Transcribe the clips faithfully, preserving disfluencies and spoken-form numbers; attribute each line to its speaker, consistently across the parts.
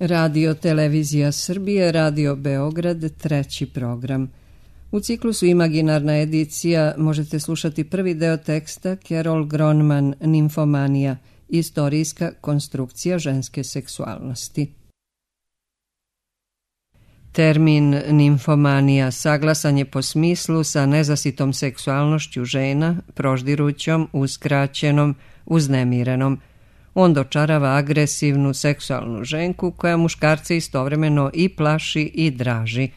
Speaker 1: Radio Televizija Srbije, Radio Beograd, treći program. U ciklusu Imaginarna edicija možete slušati prvi deo teksta Carol Gronman, Nimfomanija, istorijska konstrukcija ženske seksualnosti. Termin nimfomanija saglasan je po smislu sa nezasitom seksualnošću žena, proždirućom, uskraćenom, uznemirenom. On dočarava agresivnu seksualnu ženku koja muškarce istovremeno i plaši i draži.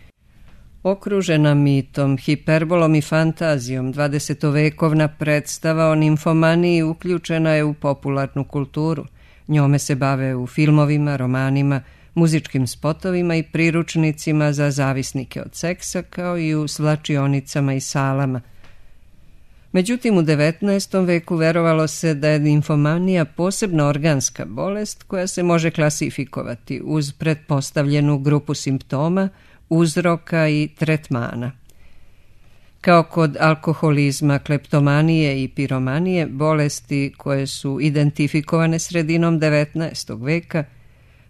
Speaker 1: Okružena mitom, hiperbolom i fantazijom, dvadesetovekovna predstava o nimfomaniji uključena je u popularnu kulturu. Njome se bave u filmovima, romanima, muzičkim spotovima i priručnicima za zavisnike od seksa, kao i u svlačionicama i salama. Međutim, u devetnaestom veku verovalo se da je nimfomanija posebna organska bolest koja se može klasifikovati uz pretpostavljenu grupu simptoma, uzroka i tretmana. Kao kod alkoholizma, kleptomanije i piromanije, bolesti koje su identifikovane sredinom devetnaestog veka,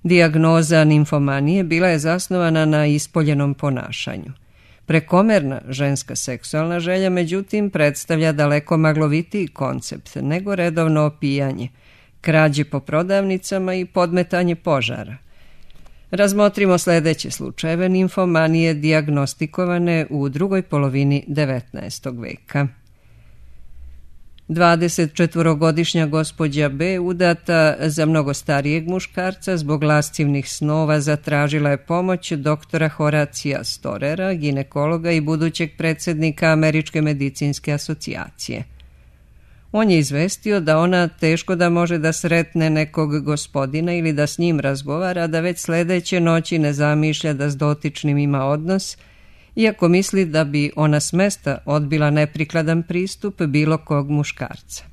Speaker 1: dijagnoza nimfomanije bila je zasnovana na ispoljenom ponašanju. Prekomerna ženska seksualna želja, međutim, predstavlja daleko maglovitiji koncept nego redovno opijanje, krađe po prodavnicama i podmetanje požara. Razmotrimo sljedeće slučajeve nimfomanije dijagnostikovane u drugoj polovini devetnaestog veka. dvadesetčetvorogodišnja gospođa B, udata za mnogo starijeg muškarca, zbog lascivnih snova zatražila je pomoć doktora Horacija Storera, ginekologa i budućeg predsjednika Američke medicinske asocijacije. On je izvestio da ona teško da može da sretne nekog gospodina ili da s njim razgovara, da već sljedeće noći ne zamišlja da s dotičnim ima odnos, iako misli da bi ona s mesta odbila neprikladan pristup bilo kog muškarca.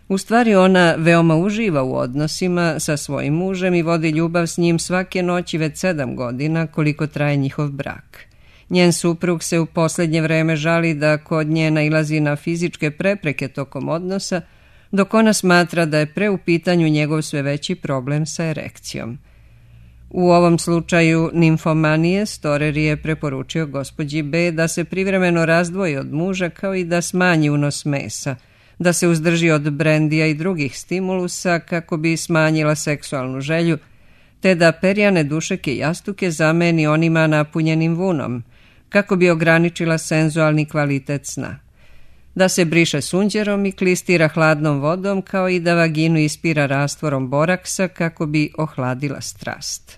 Speaker 1: U stvari ona veoma uživa u odnosima sa svojim mužem i vodi ljubav s njim svake noći već sedam godina koliko traje njihov brak. Njen suprug se u posljednje vreme žali da kod nje nailazi na fizičke prepreke tokom odnosa, dok ona smatra da je pre u pitanju njegov sve veći problem sa erekcijom. U ovom slučaju nimfomanije Storer je preporučio gospođi B da se privremeno razdvoji od muža, kao i da smanji unos mesa, da se uzdrži od brendija i drugih stimulusa kako bi smanjila seksualnu želju, te da perjane dušeke i jastuke zameni onima napunjenim vunom, kako bi ograničila senzualni kvalitet sna. Da se briše sunđerom i klistira hladnom vodom, kao i da vaginu ispira rastvorom boraksa kako bi ohladila strast.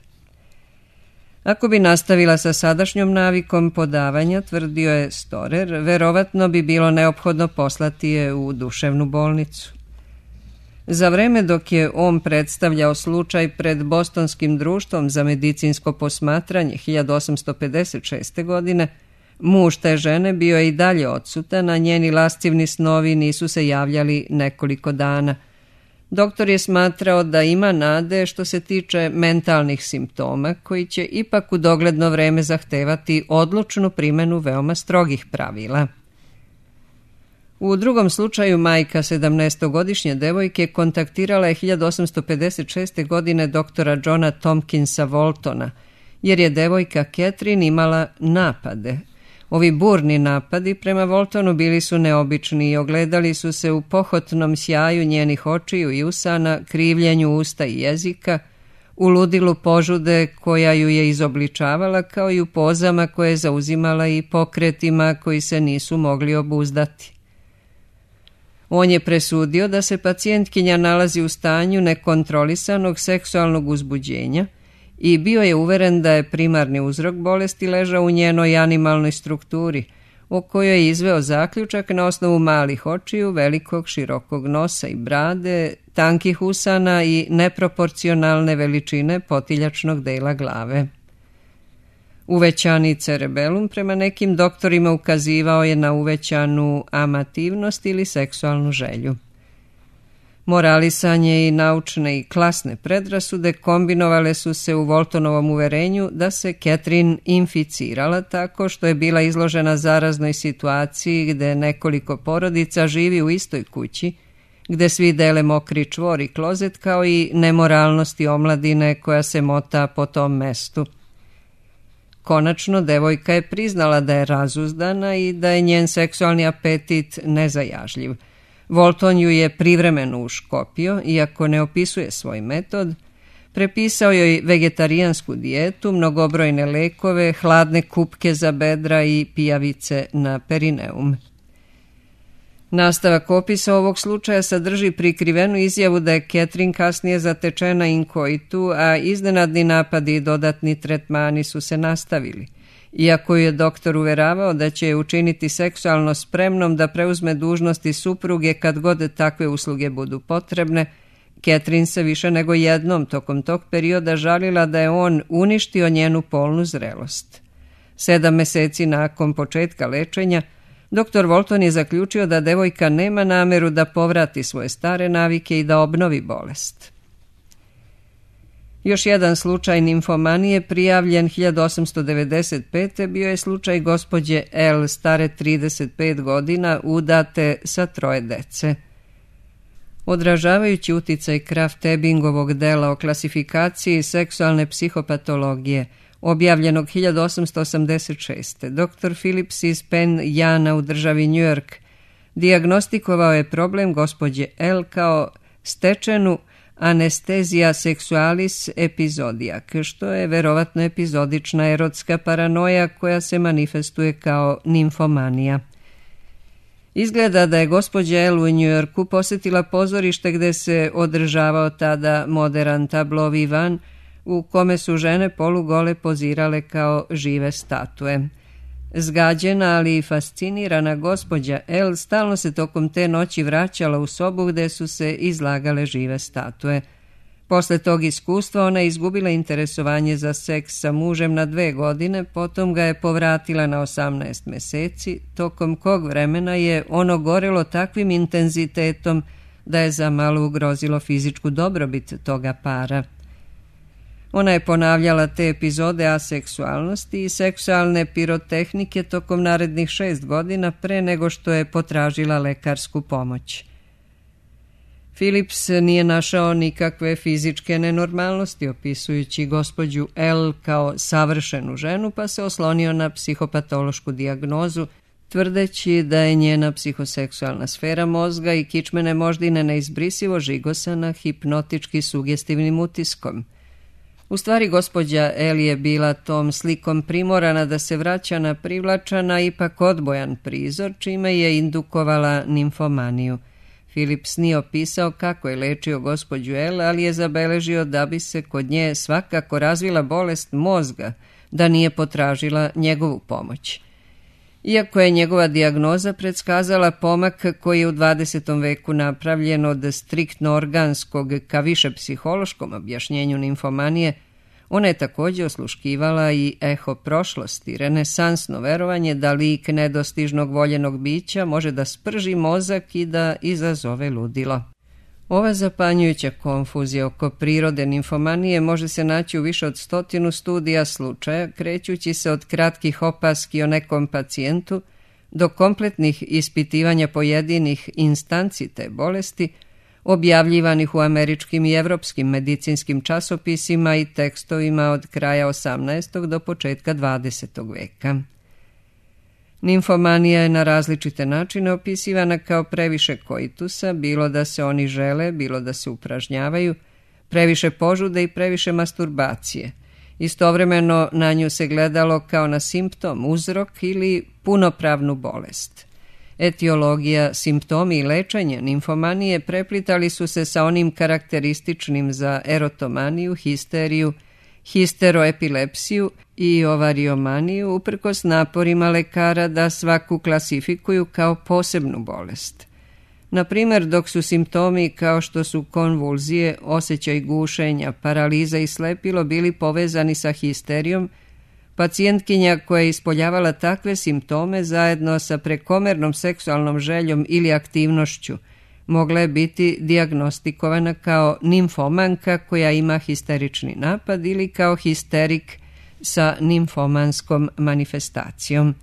Speaker 1: Ako bi nastavila sa sadašnjom navikom podavanja, tvrdio je Storer, verovatno bi bilo neophodno poslati je u duševnu bolnicu. Za vreme dok je on predstavljao slučaj pred Bostonskim društvom za medicinsko posmatranje hiljadu osamsto pedeset šeste. godine, muž te žene bio je i dalje odsutan, a njeni lascivni snovi nisu se javljali nekoliko dana. Doktor je smatrao da ima nade što se tiče mentalnih simptoma, koji će ipak u dogledno vreme zahtevati odlučnu primjenu veoma strogih pravila. U drugom slučaju majka sedamnaestogodišnje devojke kontaktirala je hiljadu osamsto pedeset šeste. godine doktora Johna Tompkinsa Waltona, jer je devojka Catherine imala napade. Ovi burni napadi prema Waltonu bili su neobični i ogledali su se u pohotnom sjaju njenih očiju i usana, krivljenju usta i jezika, u ludilu požude koja ju je izobličavala, kao i u pozama koje je zauzimala i pokretima koji se nisu mogli obuzdati. On je presudio da se pacijentkinja nalazi u stanju nekontrolisanog seksualnog uzbuđenja i bio je uveren da je primarni uzrok bolesti ležao u njenoj animalnoj strukturi, o kojoj je izveo zaključak na osnovu malih očiju, velikog širokog nosa i brade, tankih usana i neproporcionalne veličine potiljačnog dela glave. Uvećani cerebelum prema nekim doktorima ukazivao je na uvećanu amativnost ili seksualnu želju. Moralisanje i naučne i klasne predrasude kombinovale su se u Waltonovom uverenju da se Catherine inficirala tako što je bila izložena zaraznoj situaciji gde nekoliko porodica živi u istoj kući, gde svi dele mokri čvor i klozet, kao i nemoralnosti omladine koja se mota po tom mestu. Konačno, devojka je priznala da je razuzdana i da je njen seksualni apetit nezajažljiv. Walton ju je privremeno uškopio, iako ne opisuje svoj metod, prepisao joj vegetarijansku dijetu, mnogobrojne lekove, hladne kupke za bedra i pijavice na perineum. Nastavak opisa ovog slučaja sadrži prikrivenu izjavu da je Catherine kasnije zatečena in coitu, a iznenadni napadi i dodatni tretmani su se nastavili. Iako je doktor uveravao da će je učiniti seksualno spremnom da preuzme dužnosti supruge kad god takve usluge budu potrebne, Catherine se više nego jednom tokom tog perioda žalila da je on uništio njenu polnu zrelost. Sedam meseci nakon početka lečenja, doktor Walton je zaključio da devojka nema nameru da povrati svoje stare navike i da obnovi bolest. Još jedan slučaj nimfomanije prijavljen hiljadu osamsto devedeset pete. bio je slučaj gospođe L, stare trideset pet godina, udate sa troje dece. Odražavajući uticaj Krafft-Ebingovog dela o klasifikaciji seksualne psihopatologije, objavljenog hiljadu osamsto osamdeset šeste. doktor Phillips iz Penn Jana u državi New York dijagnostikovao je problem gospođe L kao stečenu anestezija sexualis epizodijak, što je verovatno epizodična erotska paranoja koja se manifestuje kao nimfomanija. Izgleda da je gospođa L u New Yorku posjetila pozorište gde se održavao tada modern tablo vivan, u kome su žene polugole pozirale kao žive statue. Zgađena, ali i fascinirana gospođa L stalno se tokom te noći vraćala u sobu gde su se izlagale žive statue. Posle tog iskustva ona je izgubila interesovanje za seks sa mužem na dve godine, potom ga je povratila na osamnaest meseci, tokom kog vremena je ono gorelo takvim intenzitetom da je zamalo ugrozilo fizičku dobrobit toga para. Ona je ponavljala te epizode aseksualnosti i seksualne pirotehnike tokom narednih šest godina pre nego što je potražila lekarsku pomoć. Phillips nije našao nikakve fizičke nenormalnosti opisujući gospođu L kao savršenu ženu, pa se oslonio na psihopatološku dijagnozu, tvrdeći da je njena psihoseksualna sfera mozga i kičmene moždine neizbrisivo žigosana hipnotički sugestivnim utiskom. U stvari, gospođa L je bila tom slikom primorana da se vraća na privlačan, a ipak odbojan prizor, čime je indukovala nimfomaniju. Phillips nije opisao kako je lečio gospođu L, ali je zabeležio da bi se kod nje svakako razvila bolest mozga, da nije potražila njegovu pomoć. Iako je njegova dijagnoza predskazala pomak koji je u dvadesetom veku napravljen od striktno organskog ka više psihološkom objašnjenju nimfomanije, ona je također osluškivala i eho prošlosti, renesansno verovanje da lik nedostižnog voljenog bića može da sprži mozak i da izazove ludilo. Ova zapanjujuća konfuzija oko prirode nimfomanije može se naći u više od stotinu studija slučaja, krećući se od kratkih opaski o nekom pacijentu do kompletnih ispitivanja pojedinih instanci te bolesti, objavljivanih u američkim i evropskim medicinskim časopisima i tekstovima od kraja osamnaestog do početka dvadesetog veka. Nimfomanija je na različite načine opisivana kao previše koitusa, bilo da se oni žele, bilo da se upražnjavaju, previše požude i previše masturbacije. Istovremeno na nju se gledalo kao na simptom, uzrok ili punopravnu bolest. Etiologija, simptomi i lečenje nimfomanije preplitali su se sa onim karakterističnim za erotomaniju, histeriju, histeroepilepsiju i ovariomaniju, uprkos naporima lekara da svaku klasifikuju kao posebnu bolest. Na primjer, dok su simptomi kao što su konvulzije, osjećaj gušenja, paraliza i slepilo bili povezani sa histerijom, pacijentkinja koja je ispoljavala takve simptome zajedno sa prekomernom seksualnom željom ili aktivnošću mogla je biti dijagnostikovana kao nimfomanka koja ima histerični napad ili kao histerik sa nimfomanskom manifestacijom.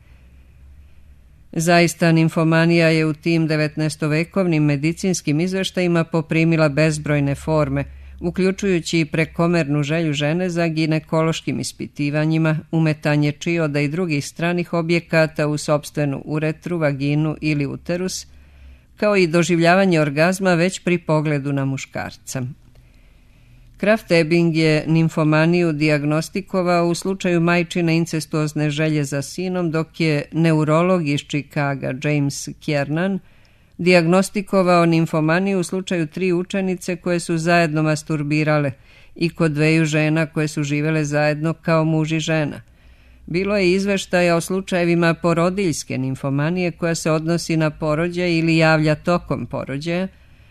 Speaker 1: Zaista, nimfomanija je u tim devetnaestovekovnim medicinskim izveštajima poprimila bezbrojne forme, uključujući i prekomernu želju žene za ginekološkim ispitivanjima, umetanje čioda i drugih stranih objekata u sopstvenu uretru, vaginu ili uterus, kao i doživljavanje orgazma već pri pogledu na muškarca. Kraft-Ebing je nimfomaniju dijagnostikovao u slučaju majčine incestuozne želje za sinom, dok je neurolog iz Čikaga James Kiernan dijagnostikovao nimfomaniju u slučaju tri učenice koje su zajedno masturbirale i kod dveju žena koje su živele zajedno kao muž i žena. Bilo je izveštaja o slučajevima porodiljske nimfomanije koja se odnosi na porođaj ili javlja tokom porođaja,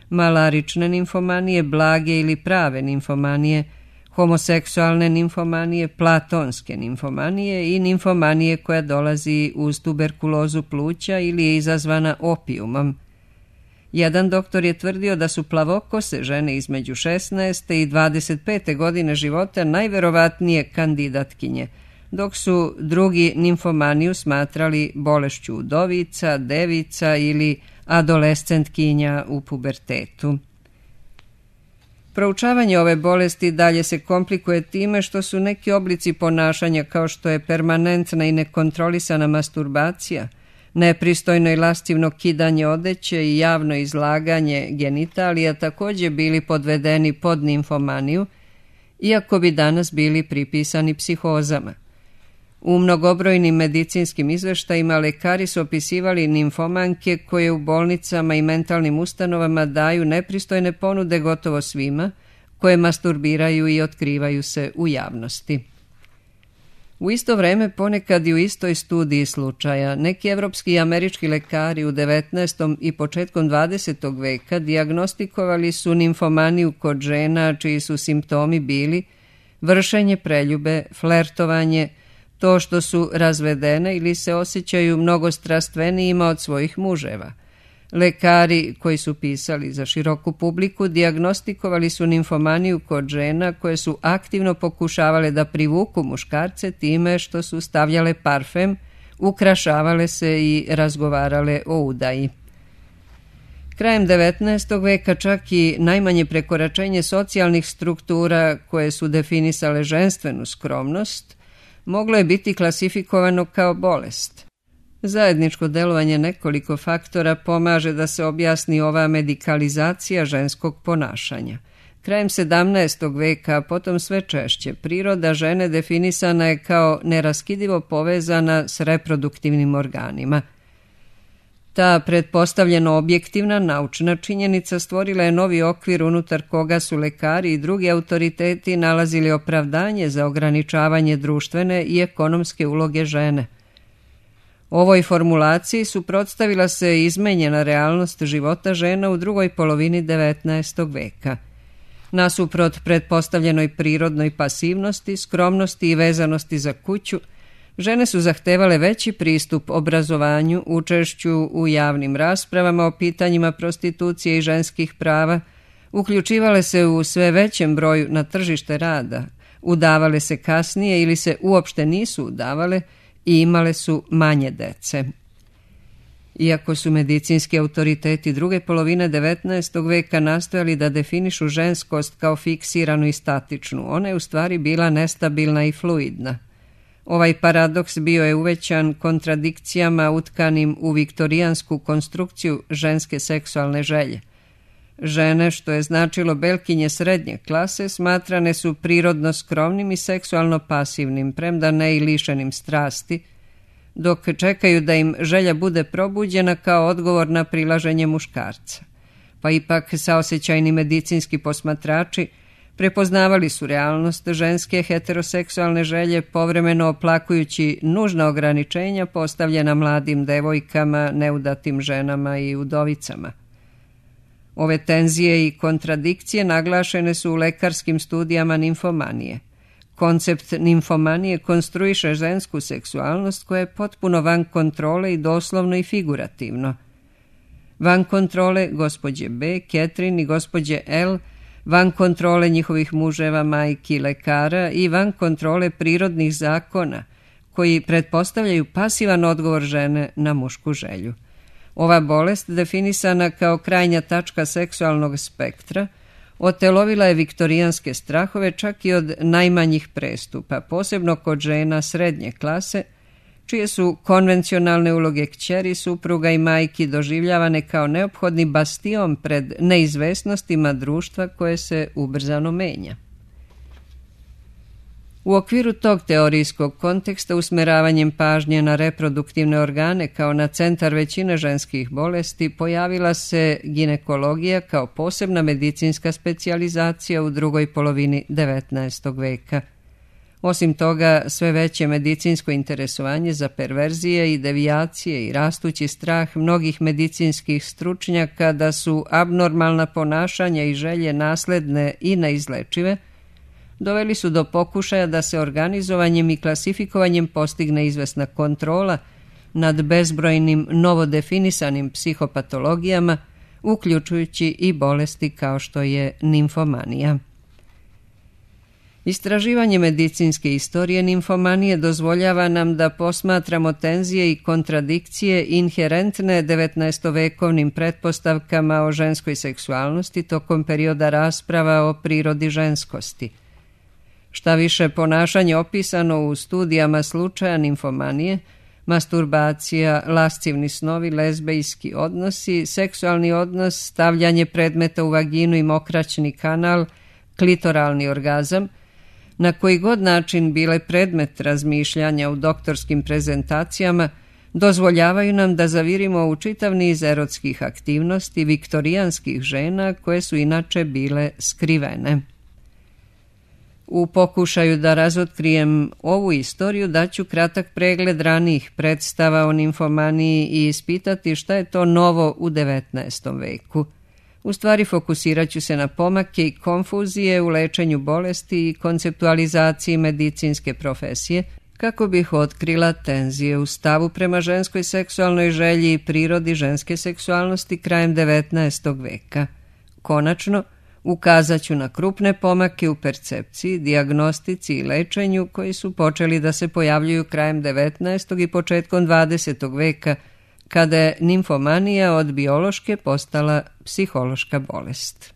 Speaker 1: malarične nimfomanije, blage ili prave nimfomanije, homoseksualne nimfomanije, platonske nimfomanije i nimfomanije koja dolazi uz tuberkulozu pluća ili je izazvana opijumom. Jedan doktor je tvrdio da su plavokose žene između šesnaeste i dvadeset pete godine života najverovatnije kandidatkinje, dok su drugi nimfomaniju smatrali bolešću udovica, devica ili adolescentkinja u pubertetu. Proučavanje ove bolesti dalje se komplikuje time što su neki oblici ponašanja kao što je permanentna i nekontrolisana masturbacija, nepristojno i lascivno kidanje odeće i javno izlaganje genitalija također bili podvedeni pod nimfomaniju, iako bi danas bili pripisani psihozama. U mnogobrojnim medicinskim izveštajima lekari su opisivali nimfomanke koje u bolnicama i mentalnim ustanovama daju nepristojne ponude gotovo svima, koje masturbiraju i otkrivaju se u javnosti. U isto vreme, ponekad i u istoj studiji slučaja, neki evropski i američki lekari u devetnaestom i početkom dvadesetog veka dijagnostikovali su nimfomaniju kod žena čiji su simptomi bili vršenje preljube, flertovanje, to što su razvedene ili se osjećaju mnogo strastvenijima od svojih muževa. Lekari koji su pisali za široku publiku dijagnostikovali su nimfomaniju kod žena koje su aktivno pokušavale da privuku muškarce time što su stavljale parfem, ukrašavale se i razgovarale o udaji. Krajem devetnaestog veka čak i najmanje prekoračenje socijalnih struktura koje su definisale ženstvenu skromnost moglo je biti klasifikovano kao bolest. Zajedničko delovanje nekoliko faktora pomaže da se objasni ova medikalizacija ženskog ponašanja. Krajem sedamnaestog veka, potom sve češće, priroda žene definisana je kao neraskidivo povezana s reproduktivnim organima. Ta pretpostavljeno objektivna naučna činjenica stvorila je novi okvir unutar koga su lekari i drugi autoriteti nalazili opravdanje za ograničavanje društvene i ekonomske uloge žene. Ovoj formulaciji suprotstavila se izmenjena realnost života žena u drugoj polovini devetnaestog veka. Nasuprot pretpostavljenoj prirodnoj pasivnosti, skromnosti i vezanosti za kuću, žene su zahtevale veći pristup obrazovanju, učešću u javnim raspravama o pitanjima prostitucije i ženskih prava, uključivale se u sve većem broju na tržište rada, udavale se kasnije ili se uopšte nisu udavale i imale su manje dece. Iako su medicinski autoriteti druge polovine devetnaestog veka nastojali da definišu ženskost kao fiksiranu i statičnu, ona je u stvari bila nestabilna i fluidna. Ovaj paradoks bio je uvećan kontradikcijama utkanim u viktorijansku konstrukciju ženske seksualne želje. Žene, što je značilo belkinje srednje klase, smatrane su prirodno skromnim i seksualno pasivnim, premda ne i lišenim strasti, dok čekaju da im želja bude probuđena kao odgovor na prilaženje muškarca. Pa ipak saosećajni medicinski posmatrači prepoznavali su realnost ženske heteroseksualne želje, povremeno oplakujući nužna ograničenja postavljena mladim devojkama, neudatim ženama i udovicama. Ove tenzije i kontradikcije naglašene su u lekarskim studijama nimfomanije. Koncept nimfomanije konstruiše žensku seksualnost koja je potpuno van kontrole i doslovno i figurativno. Van kontrole gospođe B, Catherine i gospođe L, van kontrole njihovih muževa, majki, lekara i van kontrole prirodnih zakona koji pretpostavljaju pasivan odgovor žene na mušku želju. Ova bolest, definisana kao krajnja tačka seksualnog spektra, otelovila je viktorijanske strahove čak i od najmanjih prestupa, posebno kod žena srednje klase, čije su konvencionalne uloge kćeri, supruga i majki doživljavane kao neophodni bastion pred neizvesnostima društva koje se ubrzano menja. U okviru tog teorijskog konteksta usmeravanjem pažnje na reproduktivne organe kao na centar većine ženskih bolesti pojavila se ginekologija kao posebna medicinska specijalizacija u drugoj polovini devetnaestog veka. Osim toga, sve veće medicinsko interesovanje za perverzije i devijacije i rastući strah mnogih medicinskih stručnjaka da su abnormalna ponašanja i želje nasledne i neizlečive, doveli su do pokušaja da se organizovanjem i klasifikovanjem postigne izvesna kontrola nad bezbrojnim novodefinisanim psihopatologijama, uključujući i bolesti kao što je nimfomanija. Istraživanje medicinske istorije nimfomanije dozvoljava nam da posmatramo tenzije i kontradikcije inherentne devetnaestovekovnim pretpostavkama o ženskoj seksualnosti tokom perioda rasprava o prirodi ženskosti. Šta više, ponašanje opisano u studijama slučaja nimfomanije, masturbacija, lascivni snovi, lezbejski odnosi, seksualni odnos, stavljanje predmeta u vaginu i mokraćni kanal, klitoralni orgazam, na koji god način bile predmet razmišljanja u doktorskim prezentacijama, dozvoljavaju nam da zavirimo u čitav niz erotskih aktivnosti viktorijanskih žena koje su inače bile skrivene. U pokušaju da razotkrijem ovu istoriju daću kratak pregled ranijih predstava o nimfomaniji i ispitati šta je to novo u devetnaestom veku. U stvari fokusirat ću se na pomake i konfuzije u lečenju bolesti i konceptualizaciji medicinske profesije, kako bih otkrila tenzije u stavu prema ženskoj seksualnoj želji i prirodi ženske seksualnosti krajem devetnaestog veka. Konačno, ukazat ću na krupne pomake u percepciji, dijagnostici i lečenju koji su počeli da se pojavljuju krajem devetnaestog i početkom dvadesetog veka, kada je nimfomanija od biološke postala psihološka bolest.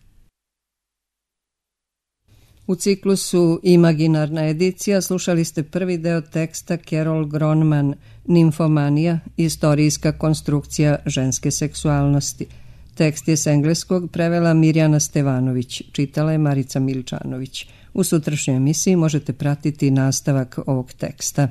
Speaker 1: U ciklusu Imaginarna edicija slušali ste prvi deo teksta Carol Gronman, Nimfomanija, istorijska konstrukcija ženske seksualnosti. Tekst je s engleskog prevela Mirjana Stevanović, čitala je Marica Milčanović. U sutrašnjoj emisiji možete pratiti nastavak ovog teksta.